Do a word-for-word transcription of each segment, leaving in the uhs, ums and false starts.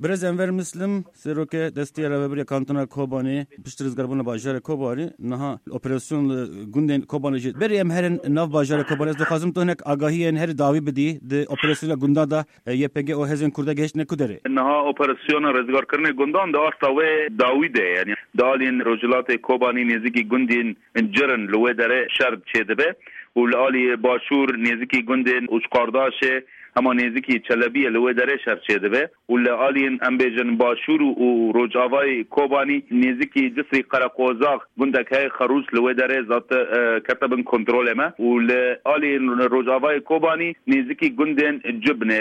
Birêz Enver Mislim, serokê destê rêvebirê kantona Kobanê, pişt rizgarbûna bajarê Kobanê, niha operasyon li gundên Kobanê jî. Berê em herin nav bajarê Kobanê, ez dixwazim tu hinek agahiyên herî dawî bidî di operasyona gundan de, e, Y P G û hêzên Kurda gehiştine ku derê? Niha operasyona rizgarkirinê gundan di asta wê dawî de ye. Yanî di aliyên rojhilatê Kobanî nêzîkî gundên Cirin li wê derê şer çêdibe û li alî başûr nêzîkî gundên Uçqardaşê hema nêzîkî Çelebiyê li wê derê şer çêdibe û li aliyên, em bêjin, başûr û rojavayê Kobanî nêzîkî Cisrî Qereqozax gundek heye Xerûç li wê derê zat, e, kete bin kontrolê me û li aliyên rojavayê Kobanî nêzîkî gundên Cibnê,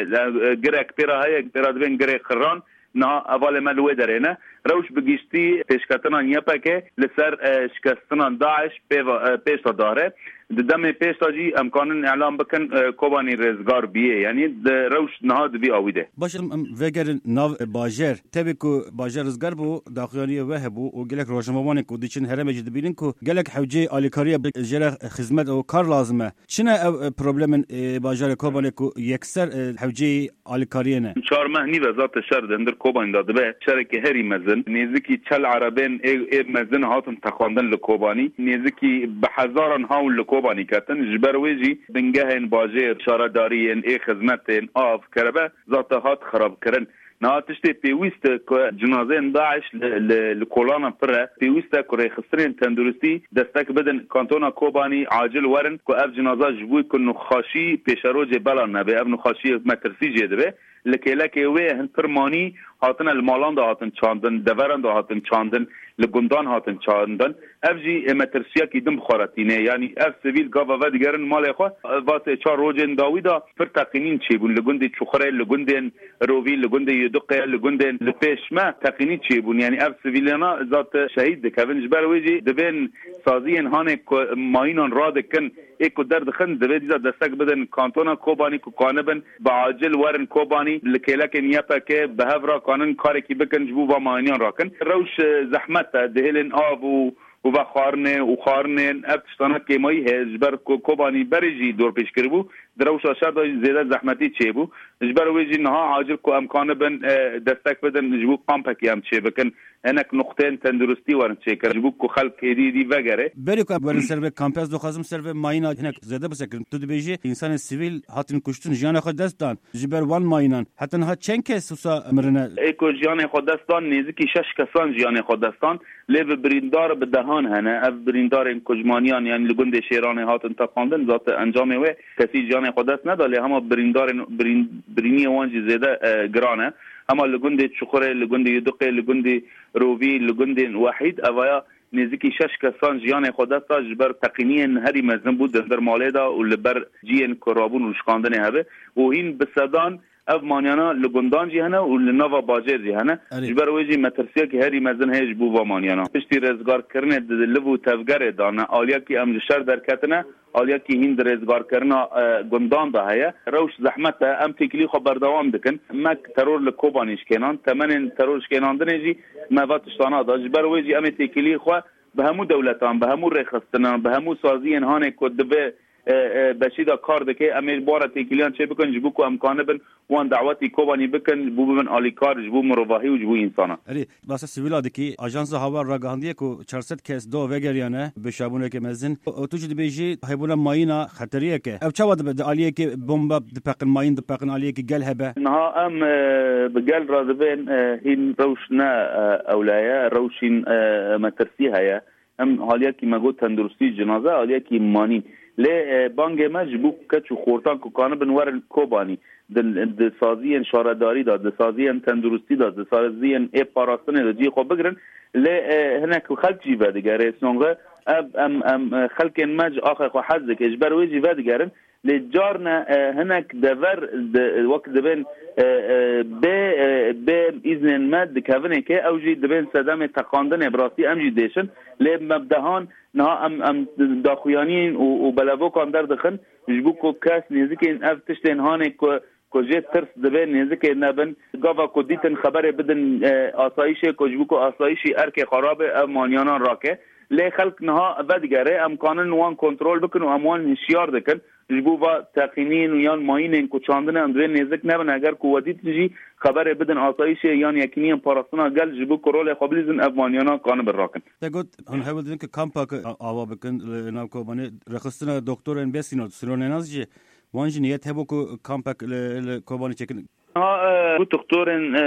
e, girek pêra heye, pêra dibên Girê Xiran. Niha hevalê me li wê derê ne. Rewş bi giştî pêşketina Y P G li ser, e, şikestinan DAIŞ pêva, e, pêş de dare. Di demê pêş de jî em kanin îlan bikin, e, Kobanî rêzgar bîye. Yanî di rewş niha di vî awî de. Baş em, em vegerin nav, e, bajêr. Tevî ku bajêr rizgar bû, daxuyaniyê we hebû û gelek rojnamevanên ku diçin herêmê jî dibînin ku gelek hewceyê alîkariya bi jê re xizmet û kar lazim e. Çi ne ev, e, problemên, e, bajarê Kobanê ku yekser, e, hewceyî alîkariyê ne? Çar meh nîv e zate şer di hundir Kobanî de dibe. Şerekî herî mezin. Nêzîkî çel erebên ê, ê mezin hatin teqandin li Kobanî. Nêzîkî bi hezaran hawl li Kobanî ketin. Ji ber wê jî bingehên bajêr, şaredariyên, ê xizmetên, av, kerebe zate hat xirabkirin. Niha tiştê pêwîst e ku cinazeyên DAIŞ li, li, li kolanan pir e. Pêwîst e ku rêxistinên tenduristî destek bidin. Kantona Kobanî acil werin ku ev cinaza ji bo ku nixweşî pêşerojê bela nebe, ev nixweşiyê metirsî jê dibe. Li kêlekê wê hin pir manî hatine, li malan de hatin çandin, deveran de hatin çandin, li gundan hatin çandin. Ev jî, e, metirsiyekî din bi xwe re tîne. Yanî ev sivîl gava vedigerin malê xwe. Vatê çar rojên dawî de pir teqînîn çêbûn li gundê Çuxurê, li gundên Rovî, li gundê Yuduqê, li gundên li pêş me teqînî çêbûn. Yanî ev sivîlana zat şehîd dikevin. Ji ber wê jî divên saziyên hanê ku mayînan radikin, ê ku derdixin, divê dîsa destek bidin kantona Kobanî ku kanibin bi acil werin Kobanî, li kêlekên Y P G bi hev re kanin karekî bikin ji bo va mayîniyan rakin. Rewş, e, zehmet e, dihêlên av û û vexwarinê û xwarinên ev tiştana kêmayî heye, ji ber ku Kobanî berê jî dorpêç kiribû, di rewşa şer de jî zêde zehmetî çêbû. Ji ber wê jî niha acil ku em kanibin, e, destek bidin, ji bo kampekî em çêbikin, hinek nuqteyên tenduristî werin çêkirin, ji bo ku xelk êdî êdî vegere. Berê ku em werin ser vê kampê, ez dixwazim ser vê mayîna hinek zêde bisekirim. Tu dibêjî însanên sivîl hatin kuştin, jiyanê xwe dest dan. Ji ber wan mayînan, heta niha çend kes wisa mirine? Ê ku jiyanê xwe dest dan, nêzîkî şeş kesan jiyanê xwe dest dan, lê bi birîndar bi dehan hene. Ev birîndarên ku ji maniyan, yanî li gundê Şêranê hatin teqandin, zate encamê wê kesî jiyanê xwe dest neda, lê hema birîndarên, birîn-, birîniyê wan jî zêde, e, giran e. Hema li gundê Çuxurê, li gundê Yuduqê, li gundê Rovî, li gundên Wehîd, evaya nêzîkî şeş kesan jiyanê xwe dest da, ji ber teqîniyên herî mezin bû di hundir malê de û li ber ciyên ku rabûn û şikandinê hebe û hîn bi sedan ev manyana li gundan jî hene û li nava bajêr jî hene. Erê. Ji ber wê jî metirsiyekî herî mezin heye ji bo va manyana. Piştî rêzgarkirinê di liv û tevgerê de ne, aliyekî em ji şer derketine, aliyekî hîn di rêzgarkirina, e, gundan de heye. Rewş zehmet e, em têkilî xwe berdewam dikin. Me teror li Kobanî şikênan, temenên teror şikênandinê jî me va tiştana da. Ji ber wê jî em ê têkilî xwe bi hemû dewletan, bi hemû rêxistinan, bi hemû saziyên hanê ku di vê, e, e, beşî de kar dike, em ê ji bo re têkiliyan çê bikin, ji bo ku em kanibin wan dawetî Kobanî bikin, ji bo bibin alîkar, ji bo mirovahî û ji bo însanan. Erê, basa sivîla dikî, Ajansa Hawa ragihandiye ku çar sed kes do vegeriyane bi şabûneke mezin. Û tu jî dibêjî hebûna mayîna xeteriyek e. Ev çawa dibe? Di aliyekê bomba dipeqin, mayîn dipeqin, aliyekî gel hebe? Niha em, e, bi gel re dibên, e, hîn rewş ne, e, ewle ye, rewşîn, e, metirsî heye. Em haliyekî me got tenduristî cinaze, haliyekî manî. Lê, e, bangê me ji bo keç û xortan ku kanibin werin Kobanî, di, di saziyên şaredarî de, di saziyên tenduristî de, di saziyên ê parastinê de cihê xwe bigirin. Lê, e, hinek xelk jî vedigere. Songre ev em, em, e, xelkên me ji axê xwe hez dike. Ji ber wê jî vedigerin. Lê carne, e, hinek dever di, wek dibên, e, e, bê, e, bê îznên me dikevin êkê, ew jî dibên sedemê teqandinê, bi rastî em jî dêşin. Lê me bi dehan niha em, em daxuyaniyên û, û belevokan derdixin, ji bo ku kes nêzikên ev tiştên hanê ku, ku jê tirs dibe nêzikê nebin. Gava ku dîtin xeberê bidin, e, asayîşê ku ji bo ku asayîşî erkê xwe rabe, ev manyanan rake. Lê xelk niha vedigere, em kanin wan kontrol bikin û em wan hişyar dikin. Ji bo va teqînîn û yan mayînên ku çandine em divê nêzik nebin, eger ku we dîtin jî xeberê bidin asayîşê yan yekîniyên parastina gel, ji bo ku rolê xwe bilîzin, ev maniyana kanibin rakin. Te got, hûn hewl didin ku kampak a-, ava bikin li nav Kobanê, rêxistina doktorên bê sînor, sînor nênaz jî, wan jî niyet hebû ku kampek li, li Kobanê çêkin. Ha, e, ku doktorên, e,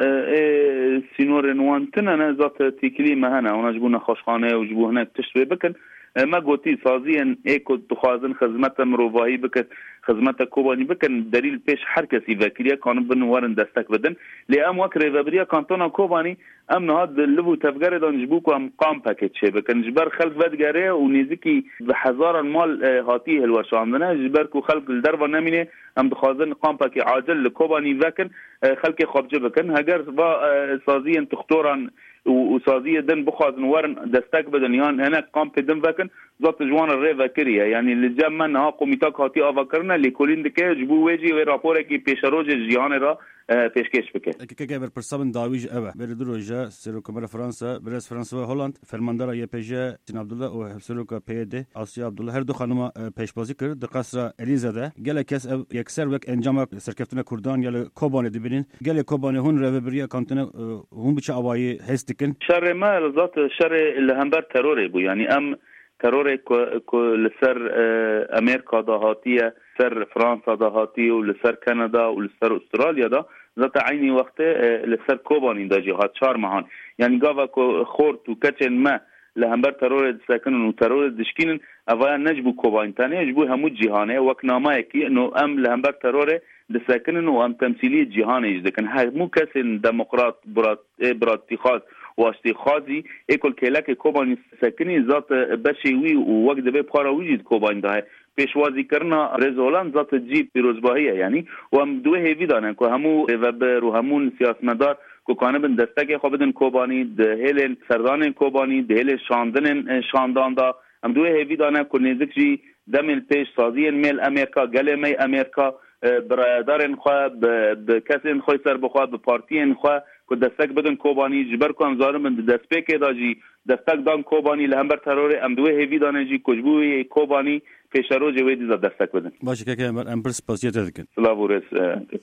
e, ê sînorên wan tune ne, zat têkilî me hene, wana ji bo nexweşxane û ji bo hinek tişt wê bikin. E, me gotî, saziyên ê ku dixwazin xizmete mirovahî bikin, xizmete Kobanî bikin, derî li pêş her kesî vekiriye, kanibin werin destek bidin. Lê em wek rêvebiriya kantona Kobanî, em niha di liv û tevgerê de ne ji bo ku em kampekê çêbikin. Ji ber xelk vedigere û nêzikî bi hezaran mal, e, hatî hilweşandine. Ji ber ku xelk li derve nemîne, em dixwazin kampekî acil li Kobanî vekin, e, xelkê xwe bi cih bikin. Heger va, e, saziyên doktoran û, û saziyê din bixwazin werin destek bidin yan hinek kampê din vekin, zat ji wan re rê vekiriye. Yanî li cem me niha komîtak hatî avakirine, lêkolîn dike, ji bo wê jî wê raporekî pêşerojê ji cîhanê re, e, pêşkêş bike. Kekê berpirsa min dawî jî ev e. Berê du roja Serokkomara Fransa, Birêz François Hollande, fermandara Y P G Sîn Abdullah û Hevseroka P Y D Asya Abdullah, her du xanima, e, pêşbazî kir di qesra Elîze de. Gelek kes ev yekser wek encama serkeftina Kurdan ya li Kobanê dibînin. Gelê Kobanê hûn rêvebiriya kantine, e, hûn bi çi awayî hês dikin? Şerê me li zat şerê li hember terorê bû. Yanî em terorê ku, ku li ser, e, Amerîka de hatiye, ser Fransa de hatiye û li ser Kanada û li ser Australya de, zata eynî wextê, e, li ser Kobanî de jî hat çar mehan. Yanî gava ku xort û keçên me li hember terorê disekinin û terorê dişkînin, evaya ne ji bo Kobanî tenê, ji bo hemû cîhanê, wek nameyekî, no em li hember terorê disekinin û em temsîliyê cîhanê jî dikin. Hemû kesên demokrat, birat-, ê biratîxwaz û aştîxwazî ê ku li kêlekê Kobanî sekinî, zat beşê wî û wek divê para wî jî di Kobanî de heye. Pêşwazîkirina Rêz Hollande zat cî pîrozbahî ye, yanî, û em di wê hêvî de ne ku hemû rêvebir û hemû siyasetmedar ku kanibin destekê xwe bidin Kobanî, di hêlên serdanên Kobanî, di hêlên şandinên, e, şandan de, em di wê hêvî de ne ku nêzik jî demên pêş saziyên mêl Amerîka, gelê me yê Amerîka, e, bi rayedarên xwe, bi, bi kesên xwe serbixwe, bi partiyên xwe ku destek bidin Kobanî, ji ber ku em zaribin di destpêkê de jî destek dan Kobanî li hember terorê, em di wê hêvî de ne jî ku ji bo wê Kobanî pêşerojê wê dîza destek bidin. Baş e, keke Enver, em pir spasiya te dikin. Silav û rêz, e,